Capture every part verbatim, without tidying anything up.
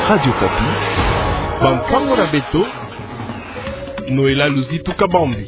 Radio Okapi, bampango na beto, Noëlla Luzitu Kabambi.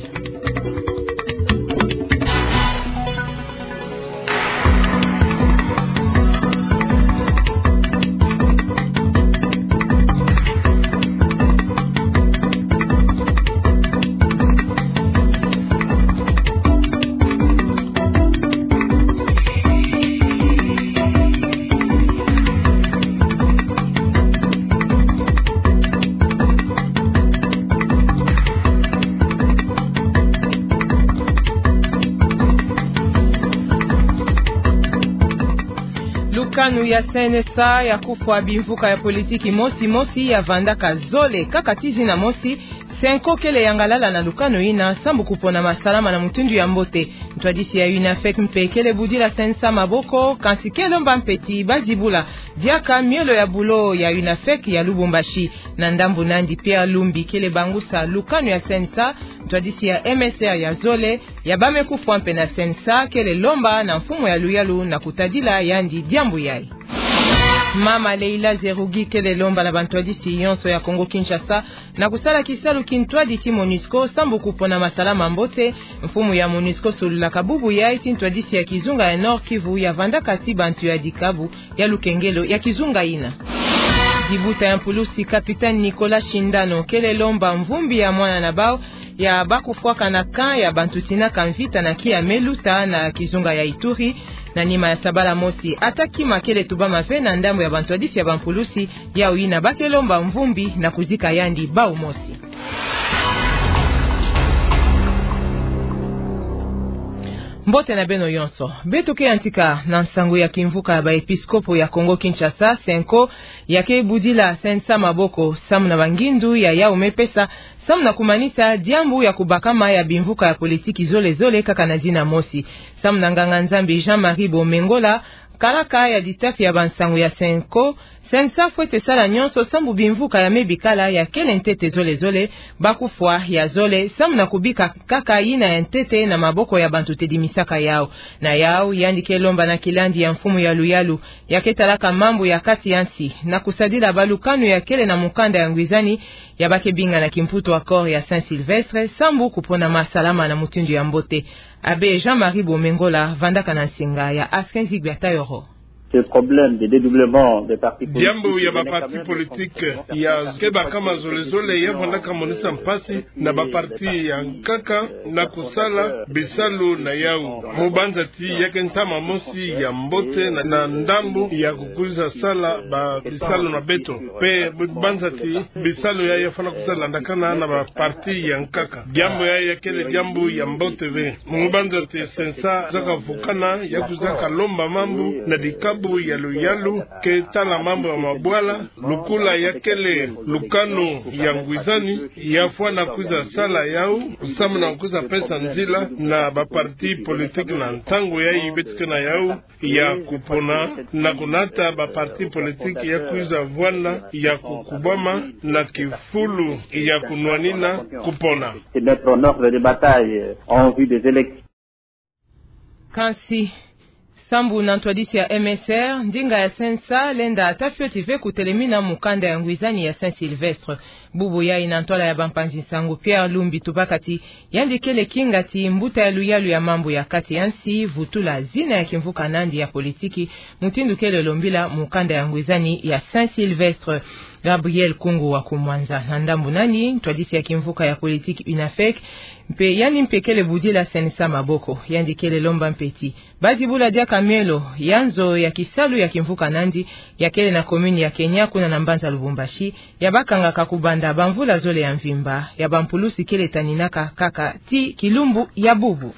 Lukanu ya C N S A ya kufwa bimvuka ya politiki mosi mosi ya vandaka zole kaka ti zina mosi, CENCO kele yangalala na lukanu ina sambu kupona masalama na mutindu ya mbote. Ntwadisi ya UNAFEC mpe kele budila C N S A maboko, kansi ke lomba mpe ti bazibula diaka miolo ya bulo ya UNAFEC ya Lubumbashi. Na ndambu nandi Pierre Lumbi kele bangusa lukanu ya C N S A, ntwadisi ya M S R ya zole, ya bamekufwa mpe na C N S A kele lomba na mfumu ya luyalu na kutadila yandi diambu yayi. Mama Leila Zerrougui kele lomba na bantwadisi yonso ya Congo Kinshasa na kusala kisalu kintwadi ti MONUSCO sambu kupona masalama mambote. Mfumu ya MONUSCO solulaka bubu yayi ti ntwadisi ya kizunga ya Nord-Kivu ya vandaka ti bantu ya dikabu ya lukengelo ya kizunga ina. Dibuta ya mpulusi, capitaine Nicolas Shindano kele lomba mvumbi ya mwana na bau ya bakufwaka na camp ya bantu tinaka mvita na Kiamé-Luta na kizunga ya Ituri. Na nima ya sabala mosi, ata kima kele tubama ve na ndambu ya bantwadisi ya bampulusi, yau ina ba ke lomba mvumbi na kuzika yandi bau mosi. Mbote na beno yonso. Beto ke yantika na nsangu ya kimvuka ya baepiskopo ya Congo Kinshasa, CENCO, ya ke budila C N S A maboko, samu na bangindu ya yau me pesa, samu na kumanisa diambu ya kubakama ya bimvuka ya politiki zole zole kaka na zina mosi. Samu na nganga-Nzambi Jean-Marie Bomengola, kalaka ya ditafi ya bansangu ya CENCO, C N S A fwete sala nyonso sambu bimvuka ya me bikala ya kele ntete zole zole, bakufwa ya zole, samu na kubika kaka yina ya ntete na maboko ya bantu tedimisaka yau. Na yau, yandi ke lomba na kilandi ya mfumu ya luyalu, ya ke talaka mambu ya kati ya nsi, na kusadila balukanu ya kele na mukanda ya ngwizani, ya ba ke binga na kimputu accord ya Saint-Sylvestre, sambu kupona masalama na mutindu ya mbote. Abbé Jean-Marie Bomengola vandaka na nsinga ya Askin Zigwe Tayoro. Ce problème de dédoublement des partis politiques. Diambu ya baparti politiki ya ke bakama zole zole ya vandaka monisa mpasi na baparti ya nkaka na kusala bisalu na yau. Mu banza ti ya ke ntama mosi ya mbote na, na ndambu ya kukwiza sala ba bisalu na beto. Mpe mu banza ti bisalu ya, ya fwana kwiza landakana na baparti ya nkaka. Diambu ya, ya kele diambu ya mbote ve. Mu banza ti C N S A zaka vukana, ya kwiza kalomba mambu na dikabu ya luyalu, ke tala mambu ya mabwala, lukula ya kele lukanu ya ngwizani, ya fwana kwiza sala yau, samu na kwiza pesa nzila na baparti politiki na ntangu yayi beto ke na yau, ya kupona na kunata baparti politiki ya kwiza vwanda ya kukubama na kifulu ya kunwanina kupona. Se mettre en ordre de bataille en vue des élections. Kansi, sambu na ntwadisi ya M S R, ndinga ya C N S A lenda ata fioti ve kutelemina mukanda ya ngwizani ya Saint-Sylvestre. Bubu yayi na ntwala ya bampanzi nsangu Pierre Lumbi tubaka ti, yandi kele kinga ti mbuta ya luyalu ya mambu ya kati ya nsi vutula zina ya kimvuka nandi ya politiki, mutindu kele lombila mukanda ya ngwizani ya Saint-Sylvestre. Gabriel Kungu wa Kumwanza. Na ndambu nani, ntwadisi ya kimvuka ya politiki UNAFEC, mpe yandi mpe kele budila C N S A maboko, yandi kele lomba mpe ti bazibula diaka mielo ya nzo ya kisalu ya kimvuka nandi, ya kele na commune ya Kenya kuna na mbanza Lubumbashi, ya bakangaka kubanda bamvula zole ya mvimba, ya bampulusi kele taninaka kaka ti kilumbu ya bubu.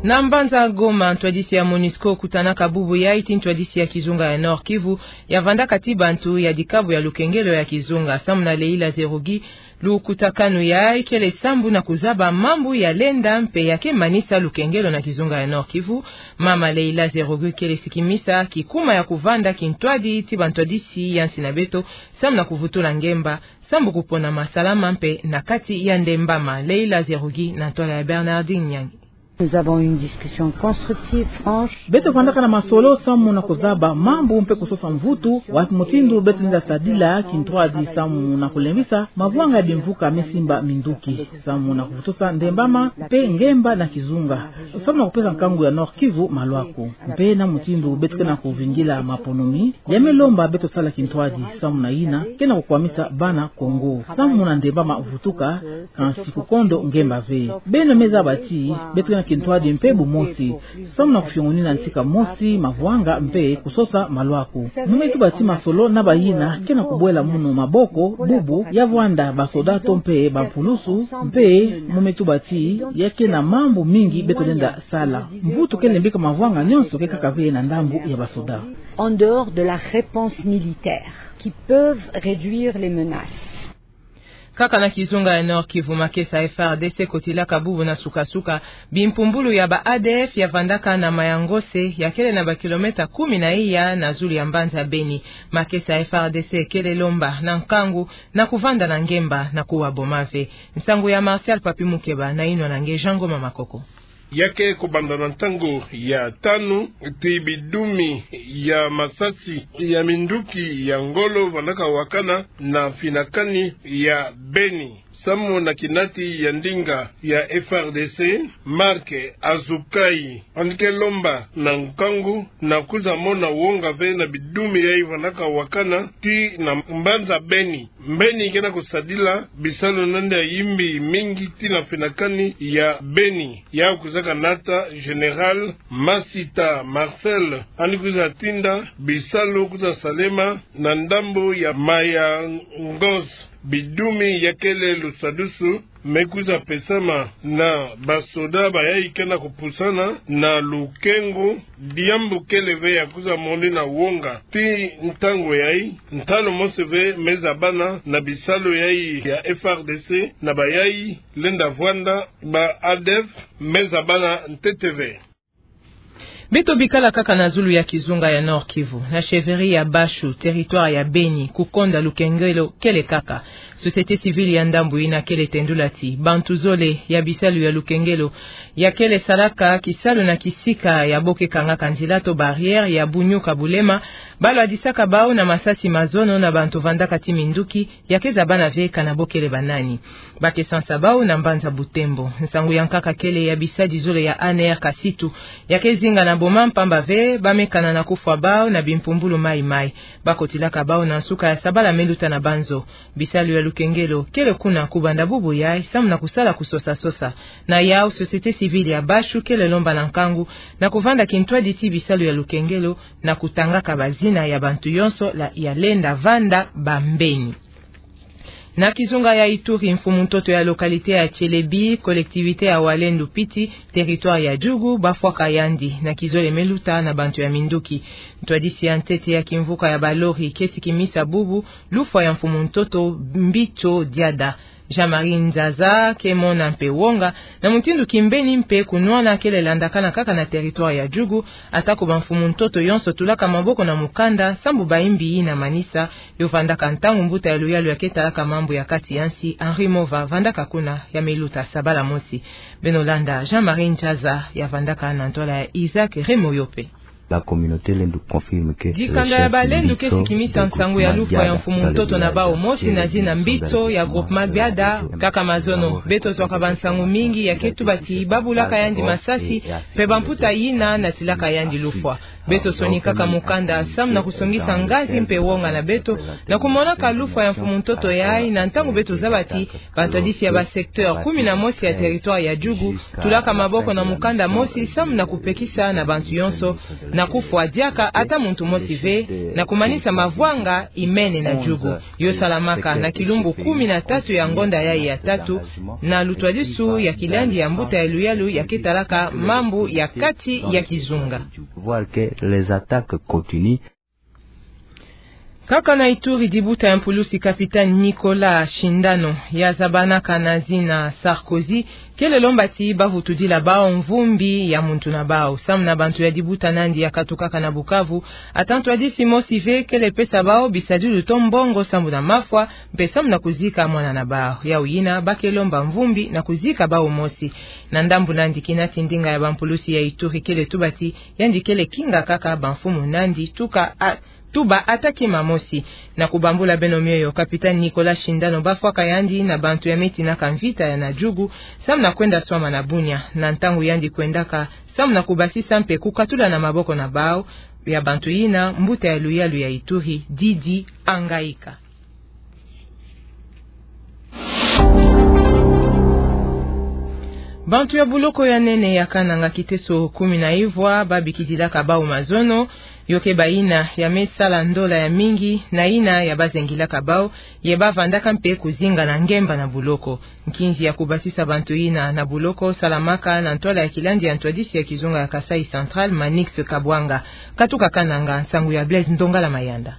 Na mbanza Goma, ntwadisi ya MONUSCO kutanaka bubu yayi ti ntwadisi ya kizunga ya Nord-Kivu, ya vandaka ti bantu ya dikabu ya lukengelo ya kizunga, samu na Leila Zerrougui, lukutakanu yayi kele sambu na kuzaba mambu ya lenda mpe ya ke manisa lukengelo na kizunga ya Nord-Kivu. Mama Leila Zerrougui kele sikimisa kikuma ya kuvanda kintwadi ti bantwadisi ya nsi na beto, samu na kuvutula ngemba, sambu kupona masalama mpe na kati ya ndembama. Leila Zerrougui na ntwala ya Bernardine Nyangi. Nous avons eu une discussion constructive, franche. Beto vandaka na masolo samu na kuzaba mambu mpe kusosa mvutu, wapi mutindu beto lenda sadila kintwadi samu na kulembisa mavwanga ya bimvuka me simba minduki, samu na kuvutusa ndembama mpe ngemba na kizunga, samu na kupesa nkangu ya Nord-Kivu malwaku. Mpe na mutindu beto ke na kuvingila maponomi, ya me lomba beto sala kintwadi samu na yina ke na kukwamisa bana Kongo. Samu na ndembama vutuka, kansi kukondo ngemba ve. Beno me zaba ti beto ke na kintwadi mpe bumosi, samu na kufiongonina ntika mosi mavwanga mpe kusosa malwaku. Mu me tuba ti masolo na bayina ke na kubwela munu maboko, bubu ya vwanda basoda to mpe bampulusu, mpe mu me tuba ti ya ke na mambu mingi beto lenda sala. Mvutu kele mbika mavwanga nyonso ke kaka ve na ndambu ya basoda. En dehors de la réponse militaire, qui peuvent réduire les menaces. Kaka na kizunga ya Nord-Kivu, makesa F A R D C kotilaka bubu na suka-suka bimpumbulu ya ba A D F ya vandaka na Mayangose, ya kele na ba kilomètre kumi na iya na zulu ya mbanza Beni. Makesa F A R D C kele lomba na nkangu na kuvanda na ngemba na kuwa boma ve. Nsangu ya Martial Papi Mukeba na yinwa na nge Jean Ngoma Makoko. Ya ke kubanda na ntangu ya tanu ti bidumi ya masasi ya minduki ya ngolo vandaka wakana na finakani ya Beni. Samu na kinati ya ndinga ya F A R D C, Marc Azukai, yandi ke lomba na nkangu na kwiza mona wonga ve na bidumi yayi vandaka wakana ti na mbanza Beni. Mbeni ke na kusadila bisalu na yandi ya yimbi mingi ti na finakani ya Beni. Ya kwizaka nata Général Masita Marcel, yandi kwiza tinda bisalu kwiza salema na ndambu ya Mayangose. Bidumi ya kele lusadusu me kwiza pesama na basoda bayayi ke na kupusana na lukengo. Diambu kele ve ya kwiza monina wonga ti ntangu yayi. Ntalu mosi ve me zabana na bisalu yayi ya F A R D C na bayayi lenda vwanda ba A D F, me zabana ntete ve. Beto bikala kaka na zulu ya kizunga ya Nord-Kivu, na chefferie ya Bashu, territoire ya Beni, kukonda lukengelo kele kaka. Société civile ya ndambu yina kele tendula ti bantu zole ya bisalu ya lukengelo ya kele salaka kisalu na kisika ya bo ke kangaka nzila to barrière ya Bunyuka Bulema, ba lwadisaka bawu na masasi mazono na bantu vandaka ti minduki ya ke zabana ve kana bo kele banani. Ba ke sansa bawu na mbanza Butembo. Nsangu ya nkaka kele ya bisadi zole ya A N R Kasitu ya ke zinga na boma, mpamba ve ba me kana na kufwa bawu na bimpumbulu mayi-mayi. Ba kotilaka bawu na nsuka ya sabala me luta na banzo. Bisalu ya lukengelo kele kuna kubanda bubu yayi samu na kusala kusosa-sosa. Na yawu, société civile ya Bashu kele lomba na nkangu na kuvanda kintwadi ti bisalu ya lukengelo na kutangaka bazina ya bantu yonso la ya lenda vanda bambeni. Na kizunga ya Ituri, mfumu ntoto ya localité ya Tielebi, collectivité ya Walendu Piti, territoire ya Djugu, ba fwaka yandi na kizole me luta na bantu ya minduki. Ntwadisi ya ntete ya kimvuka ya balori ke sikimisa bubu lufwa ya mfumu ntoto Mbito Diada. Jean-Marie Nzaza ke mona mpe wonga na mutindu kimbeni mpe kunwana kele landakana kaka na territoire ya Djugu, ata ko bamfumu ntoto yonso tulaka maboko na mukanda sambu bayimbi yina manisa yo vandaka ntangu mbuta ya luyalu ya ke talaka mambu ya kati ya nsi, Henri Mova, vandaka kuna ya me luta sabala mosi. Beno landa Jean-Marie Nzaza ya vandaka na ntwala ya Isaac Remoyope. La communauté Lendu confirme que dikanda ya Balendu ke sikimisa nsangu ya lufwa ya mfumu ntoto na bawu mosi na zina Mbito ya groupement Gbada. Kaka mazono, beto zwaka bansangu mingi ya ke tuba ti ba bulaka yandi masasi, mpe bamputa yina natilaka yandi lufwa. Beto sonikaka mukanda samu na kusongisa ngazi mpe wonga na beto na kumonaka lufwa ya mfumu ntoto yayi, na ntangu beto zaba ti bantwadisi ya ba secteur kumi na mosi ya territoire ya Djugu tulaka maboko na mukanda mosi samu na kupekisa na bantu yonso na kufwa diaka ata muntu mosi ve, na kumanisa mavwanga imene na Djugu. Yo salamaka na kilumbu kumi na tatu ya ngonda yayi ya tatu, na lutwadisu ya kilandi ya mbuta ya luyalu ya ke talaka mambu ya kati ya kizunga. Voir que les attaques continuent. Kaka na Ituri, dibuta ya mpulusi Capitaine Nicolas Shindano, ya zabanaka na zina Sarkozy, kele lomba ti bavutudila bawu mvumbi ya muntu na bawu. Samu na bantu ya dibuta nandi ya katukaka na Bukavu, ata ntwadisi mosi ve kele pesa bawu bisadulu to mbongo samu na mafwa, mpe samu na kuzika mwana na bawu. Yawu yina, ba ke lomba mvumbi na kuzika bawu mosi. Na ndambu nandi, kina ti ndinga ya bampulusi ya Ituri kele tuba ti yandi kele kinga kaka bamfumu nandi tuka a- tuba ata kima mosi. Na kubambula beno mioyo, Capitaine Nicolas Shindano bafwaka yandi na bantu ya metinaka mvita ya na jugu, samu na kwenda swama na Bunia. Na ntangu yandi kwendaka samu na kubasisa mpe kukatula na maboko na bawu ya bantu yina, mbuta ya luyalu ya Ituri, Didi Angaika. Bantu ya buloko ya nene ya Kananga, kiteso kumi na ivwa, babikidilaka bawu mazono, yo ke bayina ya me sala ndola ya mingi, na yina ya bazengilaka bawu, ye bavandaka mpe kuzinga na ngemba na buloko. Nkinzi ya kubasisa bantu yina na buloko salamaka na ntwala ya kilandi ya ntwadisi ya kizunga ya Kasaï Central, Manix Kabwanga. Katuka Kananga, nsangu ya Blaise Ndongala Mayanda.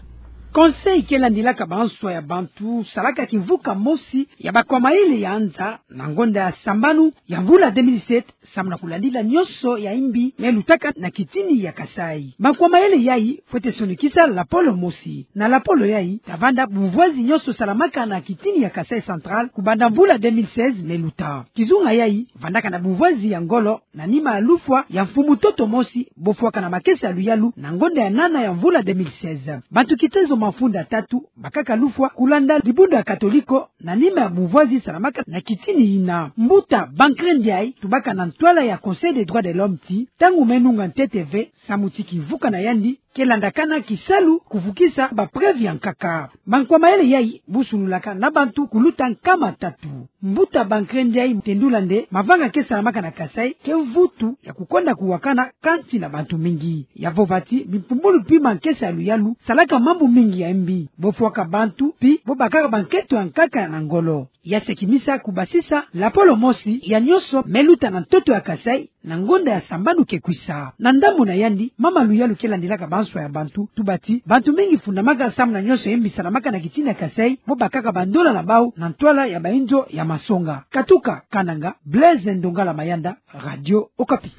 Conseil ke landilaka banswa ya bantu salaka kimvuka mosi ya bakwa mayele ya nza na ngonda ya sambanu ya mvula deux mille sept, samu na kulandila nyonso ya imbi me lutaka na kitini ya Kasaï. Bakwa mayele yayi fwete sonikisa lapolo mosi. Na lapolo yayi, ta vanda bumvwazi nyonso salamaka na kitini ya Kasaï Central kubanda mvula deux mille seize me luta. Kizunga yayi vandaka na bumvwazi ya ngolo na nima ya lufwa ya mfumu ntoto mosi, bofwaka na makesa ya luyalu na ngonda ya nana ya mvula deux mille seize. Bantu kitezo mafunda tatu bakaka lufwa kulanda libundu ya Katoliko na nima ya bumvwazi salamaka na kitini yina. Mbuta Bancré Ndiaye tubaka na ntwala ya Conseil des droits de l'homme ti ntangu me nunga ntete ve, samu ti kimvuka na yandi ke landakana kisalu kuvukisa ba preuve ya nkaka. Bakwa mayele yayi busululaka na bantu kuluta nkama tatu. Mbuta Bancré Ndiaye tendula nde mavanga ke salamaka na Kasaï ke mvutu ya kukonda kuwakana kati na bantu mingi. Ya vova ti bimpumbulu pi makesa ya luyalu salaka mambu mingi ya imbi, bofwaka bantu pi bobakaka bankento ya nkaka na ngolo. Ya sekimisa kubasisa lapolo mosi ya nyonso me luta na ntoto ya Kasaï na ngonda ya sambanu ke kwisa. Na ndambu na yandi, mama luyalu ke landilaka banswa ya bantu tuba ti bantu mingi fundamaka samu na nyonso ya imbi salamaka na kitini ya Kasaï, bobakaka bandola na bawu na ntwala ya bainzo ya masonga. Katuka Kananga, Blaise Ndongala Mayanda, Radio Okapi.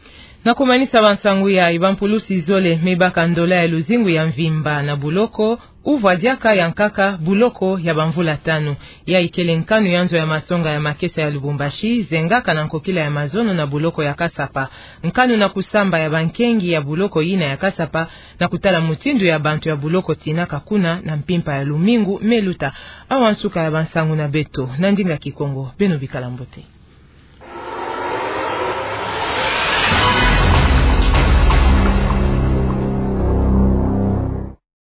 Na kumanisa bansangu yayi, bampulusi zole me baka ndola ya luzingu ya mvimba na buloko, uvwa diaka ya nkaka buloko ya bamvula tanu. Yayi kele nkanu ya nzo ya masonga ya makesa ya Lubumbashi zengaka na nkokila ya mazono na buloko ya Kasapa. Nkanu na kusamba ya bankengi ya buloko yina ya Kasapa, na kutala mutindu ya bantu ya buloko tinaka kuna na mpimpa ya lumingu me luta. Awa nsuka ya bansangu na beto na ndinga Kikongo. Beno bikala mbote.